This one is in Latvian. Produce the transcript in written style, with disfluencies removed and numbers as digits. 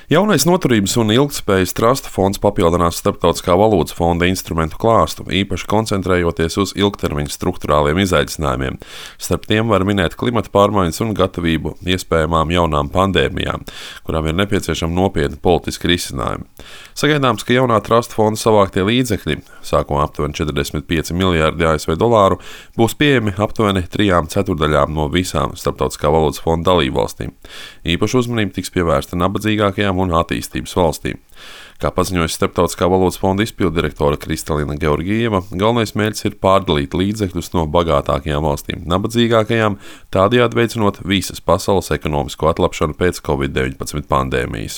Jaunais Noturības un ilgtspējas trusta fonds papildinās Starptautiskā valūtas fonda instrumentu klāstu, īpaši koncentrējoties uz ilgtermiņa strukturāliem izaicinājumiem. Starp tiem var minēt klimata pārmaiņas un gatavību iespējamām jaunām pandēmijām, kurām ir nepieciešama nopietna politiska risinājuma. Sagaidāms, ka jaunā trusta fonda savāktie līdzekļi, sākumā aptuveni 45 miljārdi ASV dolāru, būs pieejami aptuveni 3/4 no visām Starptautiskā valūtas fonda dalībvalstīm. Īpaša uzmanība tiks pievērsta nabadzīgākajām un attīstības valstīm. Kā paziņoja Starptautiskā valūtas fonda izpilddirektore Kristalina Georgieva, galvenais mērķis ir pārdalīt līdzekļus no bagātākajām valstīm nabadzīgākajām, tādējādi veicinot visas pasaules ekonomisko atlapšanu pēc Covid-19 pandēmijas.